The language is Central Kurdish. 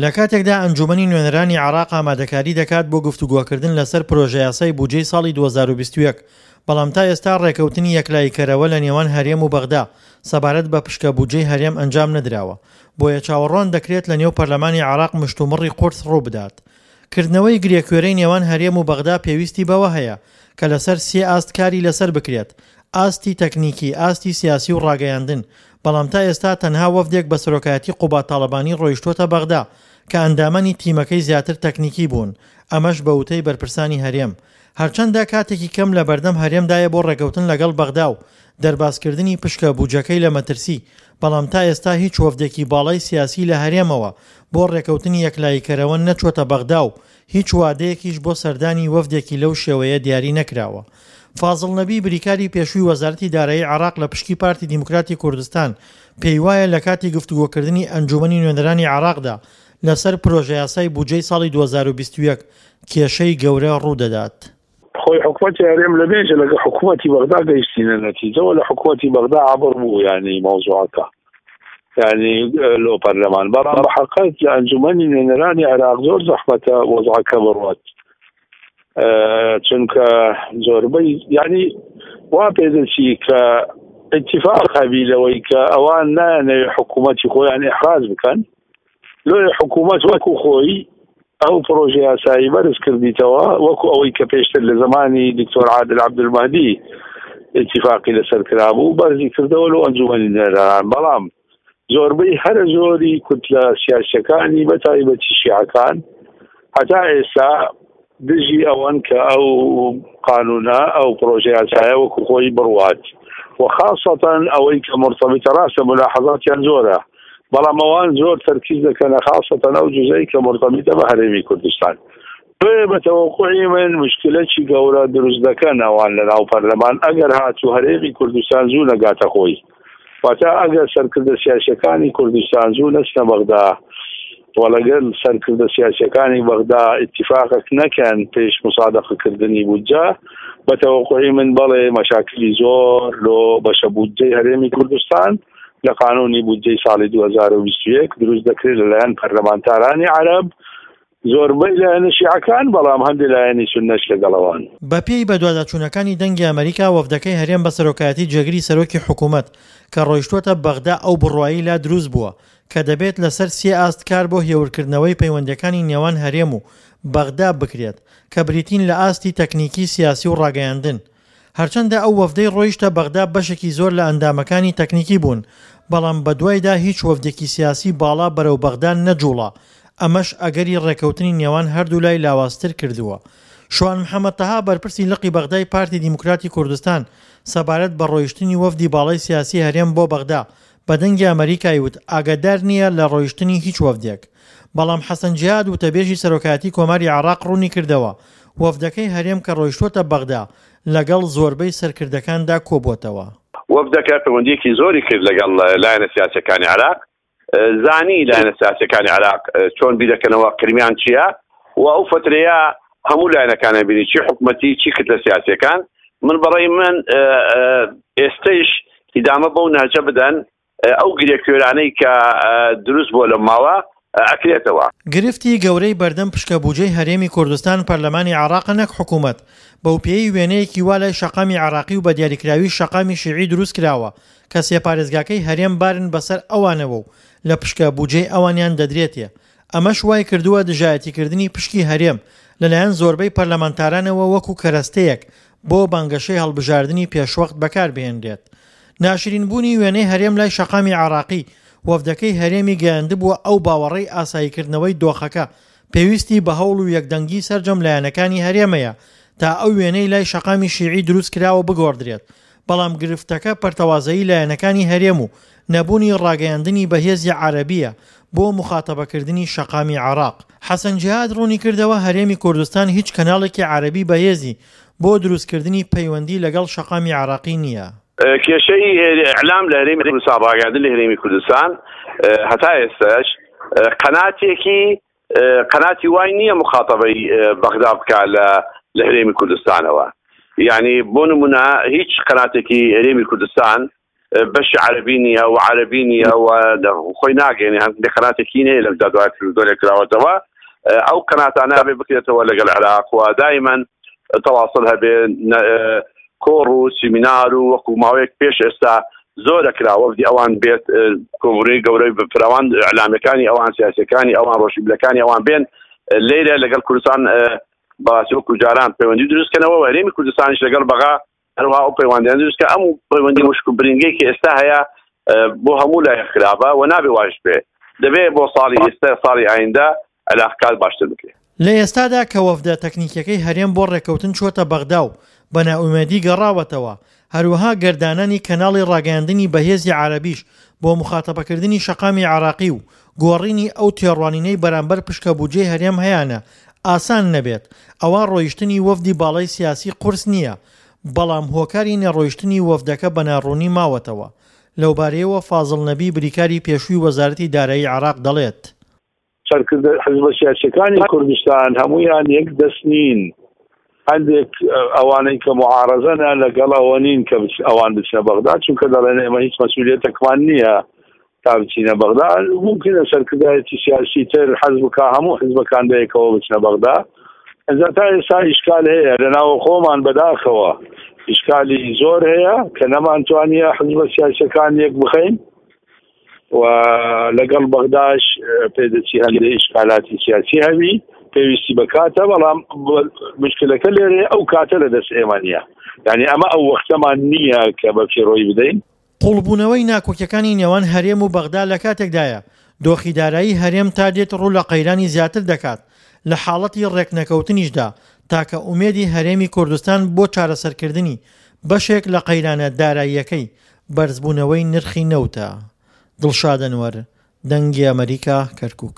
لە کاتێکدا ئەنجوومەنی نوێنەرانی عێراق ئامادەکاری دەکات بۆ گفتوگۆکردن لەسەر پرۆژەیاسای بودجەی ساڵی 2021، بەڵام تا ئێستا ڕێکەوتنی یەکلاییکەرەوە لە نێوان هەرێم و بەغدا سەبارەت بە پشکە بودجەی هەرێم ئەنجام نەدراوە، بۆیە چاوەڕوان دەکرێت لە نێو پەرلەمانی عێراق مشتومڕی قورس ڕووبدات. کردنەوەی گرێکوێرەی نێوان هەرێم و بەغدا پێویستی بەوە هەیە کە لەسەر سێ ئاست کاری لەسەر بکرێت، ئاستی تەکنیکی، ئاستی سیاسی و ڕاگەیاندن، بەڵام تا ئێستا تەنها وەفدێک بە سەرۆکایەتی قوباد تاڵەبانی ڕۆیشتووەتە بەغدا کە ئەندامانی تیمەکەی زیاتر تەکنیکی بوون، ئەمەش بە وتەی بەرپرسانی هەرێم. هەرچەندە کاتێکی کەم لە بەردەم هەرێمدایە بۆ ڕێکەوتن لەگەڵ بەغدا و دەربازکردنی پشکە بوجەکەی لە مەترسی، بەڵام تا ئێستا هیچ وەفدێکی باڵای سیاسی لە هەرێمەوە بۆ ڕێکەوتنی یەکلاییکەرەوە نەچووەتە بەغدا و هیچ وادەیەکیش بۆ سەردانی وەفدێکی لەو شێوەیە دیاری نەکراوە. فازڵ نەبی بریکاری پێشووی وەزارەتی دارایی عێراق لە پشکی پارتی دیموکراتی کوردستان پێیوایە لە کاتی گفتوگۆکردنی ئەنجوومەنی نوێنەرانی عێراقدا لەسەر پرۆژەیاسای بودجەی ساڵی 2021 کێشەی گەورە ڕوودەدات. خۆی حکومەتی هەرێم لە بێژە لەگە حکومەتی بەغدا گەیشتینە نەتیجەوە لە حکومەتی بەغدا عبر بوو یعنی مەوزوعەکە یعنی لۆ پەرلەمان بەڵام بە حقیقەت لە ئەنجومەنی نوێنەرانی عێراق زۆر زەحمەتە وەزعەکە بڕوات چونکە زۆربەی یعنی وا پێدەچی کە اتفاق هەبی لەوەی کە ئەوان نایانەوێ حکوومەتی خۆیان ئحراج بکەن لۆیە حکوومەت وەکو خۆی ئەو پرۆژە یاسایی بەرز کردیتەوە وەکو ئەوەی کە پێشتر لە زمانی دکتۆر عادل عەبدولمەهدی اتفاقی لەسەر کرابوو بەرزی کردەوە لۆ ئەنجومەنی نوێنەران بەڵام زۆربەی هەرە زۆری کوتلە سیاسیەکانی بە تایبەتی شیعەکان هەتا ئێستا دژی ئەوەن کە ئەو قانونە ئەو پرۆژە یاسایە وەکو خۆی بڕوات و خاصەتەن ئەوەی کە مرتبطە ڕاستە ملاحەزاتیان زۆرە بەڵام ئەوان زۆر تەرکیز دەکەنە خاصەتەن ئەو جزەی کە مرتبطە بە هەرێمی کوردستان بۆیە بە تەوەقوعی من مشکلەکی گەورە دروست دەکەن ئەوان لە ناو پەرلەمان ئەگەر هاتوو هەرێمی کوردستان زوو نەگاتە خۆی واتە ئەگەر سەرکردە سیاسیەکانی کوردستان زوو نەچنە بەغدا و لەگەل سەرکردە سیاسیەکانی بەغدا ئیتیفاقێک نەکەن پێش مسادەقەکردنی بودجە بە تەوەقوعی من بەڵێ مەشاکلی زۆر لۆ بەشە بودجەی هەرێمی کوردستان لە قانونی بودجەی ساڵی 2021 دروست دەکرێت لەلایەن پەرلەمانتارانی عەرەب زۆربەی لایەنە شیعەکان، بەڵام هەندێ لایەنی سوننەش لەگەڵ ئەوان. بەپێی بەدواداچوونەکانی دەنگی ئەمەریکا، وەفدەکەی هەرێم بە سەرۆکایەتی جێگری سەرۆکی حکومەت کە ڕۆیشتووەتە بەغدا ئەو بڕوایەی لا دروست بووە کە دەبێت لەسەر سێ ئاست کار بۆ هێورکردنەوەی پەیوەندییەکانی نێوان هەرێم و بەغدا بکرێت کە بریتین لە ئاستی تەکنیکی، سیاسی و ڕاگەیاندن. هەرچەندە ئەو وەفدەی ڕۆیشتە بەغدا بەشێکی زۆر لە ئەندامەکانی تەکنیکی بوون، بەڵام بەدوایدا هیچ وەفدێکی سیاسی باڵا بەرەو بەغدا نەجوڵا، ئەمەش ئەگەری ڕێکەوتنی نێوان هەردوولای لاوازتر کردووە. شوان محەمەد تەها بەرپرسی لقی بەغدای پارتی دیموکراتی کوردستان سەبارەت بە ڕۆیشتنی وەفدی باڵای سیاسی هەرێم بۆ بەغدا بە دەنگی ئەمەریکای وت ئاگادار نییە لە ڕۆیشتنی هیچ وەفدێک. بەڵام حەسەن جیهاد وتەبێژی سەرۆکایەتی کۆماری عێراق ڕوونیکردەوە، وەفدەکەی هەرێم کە ڕۆیشتووەتە بەغدا لەگەڵ زۆربەی سەرکردەکاندا کۆبووەتەوە. وەفدەکە پەیوەندییەکی زۆری کرد لەگەڵ لایەنە سیاسییەکانی عێراق، زانی لایەنە سیاسییەکانی عێراق چۆن بیردەکەنەوە، قرمیان چییە و ئەو فەترەیە هەموو لایەنەکانیان بینی چی حکومەتی چی کتلە سیاسییەکان. من بەڕەی من ئێستەیش ئیدامە بەو نەهجە بدەن ئەو گرێ کوێرانەی کە دروست بووە لەم ماوە ئەکرێتەوە. گرفتی گەورەی بەردەم پشکە بوجەی هەرێمی کوردستان پەرلەمانی عێراقە نەک حکومەت، بەوپێیەی وێنەیەکی وا لای شەقامی عێراقی و بەدیاریکراویش شەقامی شیعی دروستکراوە کە سێ پارێزگاکەی هەرێم بارن بەسەر ئەوانەوە و لە پشکە بوجەی ئەوانیان دەدرێتێ ئەمەش وایکردووە دژایەتیکردنی پشکی هەرێم لەلایەن زۆربەی پەرلەمانتارانەوە وەکو کەرەستەیەک بۆ بانگەشەی هەڵبژاردنی پێشوەخت بەکاربهێنرێت. ناشرین بوونی وێنەی هەرێم لای شەقامی عێراقی، وەفدەکەی هەرێمی گەیاندبووە ئەو باوەڕەی ئاساییکردنەوەی دۆخەکە پێویستی بە هەوڵ و یەکدەنگی سەرجەم لایەنەکانی هەرێمەیە تا ئەو وێنەی لای شەقامی شیعی دروستکراوە بگۆڕدرێت، بەڵام گرفتەکە پەرتەوازەیی لایەنەکانی هەرێم و نەبوونی ڕاگەیاندنی بەهێزی عەرەبییە بۆ موخاتەبەکردنی شەقامی عێراق. حەسەن جیهاد ڕوونیکردەوە، هەرێمی کوردستان هیچ کەناڵێکی عەرەبی بەهێزی بۆ دروستکردنی پەیوەندی لەگەڵ شەقامی عێراقی نییە. کێشەی ئیعلام لە هەرێمی کوردستان، ڕاگەیاندن لە هەرێمی کوردستان هەتا ئێستاش قەناتێکی قەناتی وای نییە مخاتەبەی بەغدا بکا لە لە هەرێمی کوردستانەوە یعنی بۆ نمونە هیچ قەناتێکی هەرێمی کوردستان. بەشی عەربی نییە و عەربی نییە و خۆی ناگەێنێ، هەندێک قەناتێکی نیە لە دوای تلویزیۆنێک کراوەتەوە، ئەو قەناتانە بێ بکرێتەوە لەگەڵ عێراق و دایمەن تەواصل هەبێ، کۆڕ و سیمینار و وەکو ماوەیەک پێش ئێستا زۆرە کرا وەفدی ئەوان بێت، کۆبوونەوەی گەورەی فراوان، ئیعلامەکانی ئەوان، سیاسەکانی ئەوان، ڕۆشنبیرەکانی ئەوان بێن لێرە لەگەڵ کوردستان بەڕاستی وەکو جاران پەیوەندی دروستکەنەوە و هەرێمی کوردستانیش لەگەڵ بەغا هەروەها ئەو پەیوەندیان دروست کە ئەم پەیوەندی وشک و برینگەی کە ئێستا هەیە بۆ هەموو لای خراپە و نابێ واش بێ، دەبێ بۆ ساڵی ئێستا ساڵی ئایندە علاقات باشتر بکرێت. لە ئێستادا کە وەفدە تەکنیکیەکەی هەرێم بۆ ڕێککەوتن چووەتە بەغدا و بە نائومێدی گەڕاوەتەوە، هەروەها گەردانانی کەناڵی ڕاگەیاندنی بەهێزی عەرەبیش بۆ موخاتەبەکردنی شەقامی عێراقی و گۆڕینی ئەو تێڕوانینەی بەرامبەر پشکە بودجەی هەرێم هەیانە ئاسان نەبێت، ئەوا ڕۆیشتنی وەفدی باڵای سیاسی قورس نییە، بەڵام هۆکاری نەڕۆیشتنی وەفدەکە بە ناڕوونی ماوەتەوە. لەوبارەیەوە فازڵ نەبی بریکاری پێشووی وەزارەتی دارایی عێراق دەڵێت. سەرکردە حزبە سیاسیەکانی کوردستان هەمویان یەک دەست نین، هەندێک ئەوانەی کە معارەزەنە لەگەڵ ئەوە نین کە ئەوان بچنە بەغدا، چونکە دەڵێن ئێمە هیچ مەسئولیەتێکمان نییە تا بچینە بەغدا. ممکنە سەرکردایەتی سیاسی تر حەز بکا هەموو حزبەکان بەیەکەوە بچنە بەغدا. ئینجا تا ئێستا ئیشکال هەیە لە ناوە خۆمان، بەداخەوە ئیشکالی زۆر هەیە کە نەمانتوانیە حزبە سیاسیەکان یەک بخەین و لەگەڵ بەغداش پێدەچی هەندێک ئیشکالاتی سیاسی هەبی، پێویستی بە کاتە، بەڵام مشکلەکە لێرێ ئەو کاتە لە دەست ئێمە نییە، یعنی ئەمە ئەو وەختەمان نییە کە بە فیڕۆی بدەین. قوڵبوونەوەی ناکۆکیەکانی نێوان هەرێم و بەغدا لە کاتێکدایە، دۆخی دارایی هەرێم تا دێت ڕوو لە قەیرانی زیاتر دەکات، لە حاڵەتی ڕێکنەکەوتنیشدا تاکە ئومێدی هەرێمی کوردستان بۆ چارەسەرکردنی بەشێک لە قەیرانە داراییەکەی، بەرزبوونەوەی نرخی نەوتە. دڵشاد ئەنوەر، دەنگی ئەمەریکا، کەرکوک.